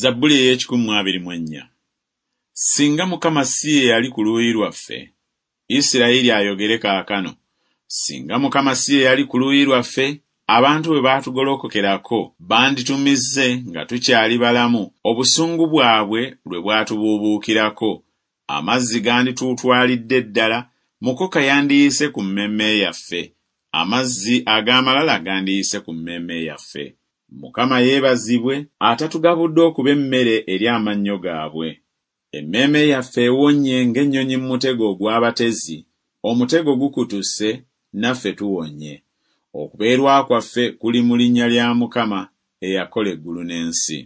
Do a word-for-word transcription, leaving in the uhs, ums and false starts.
Zabbuli ey'ekikumi mu abiri mu ennya. Singa Mukama si ye yali ku luuyi lwaffe, Isirayiri ayogere kaakano, singa Mukama si ye yali ku luuyi lwaffe, abantu bwe baatugolokokerako banditumize nga tukyali balamu, obusungu bwabwe lwe bwatubuubuukirako, amazzi gandituutwalidde ddala, mukoka yandiyise ku mmeeme yaffe, amazzi ag'amalala gandiyise ku mmeeme yaffe. Mukama yeebazibwe atatugabudde okuba emmere eri amannyo gaabwe. Emmeeme yaffe ewonye ng'ennyonyi mu mutego ogw'abatezi, omutego gukutuse, naffe tuwonye. Okubeerwa kwaffe kuli mu linnya lya Mukama eyakola eggulu n'ensi.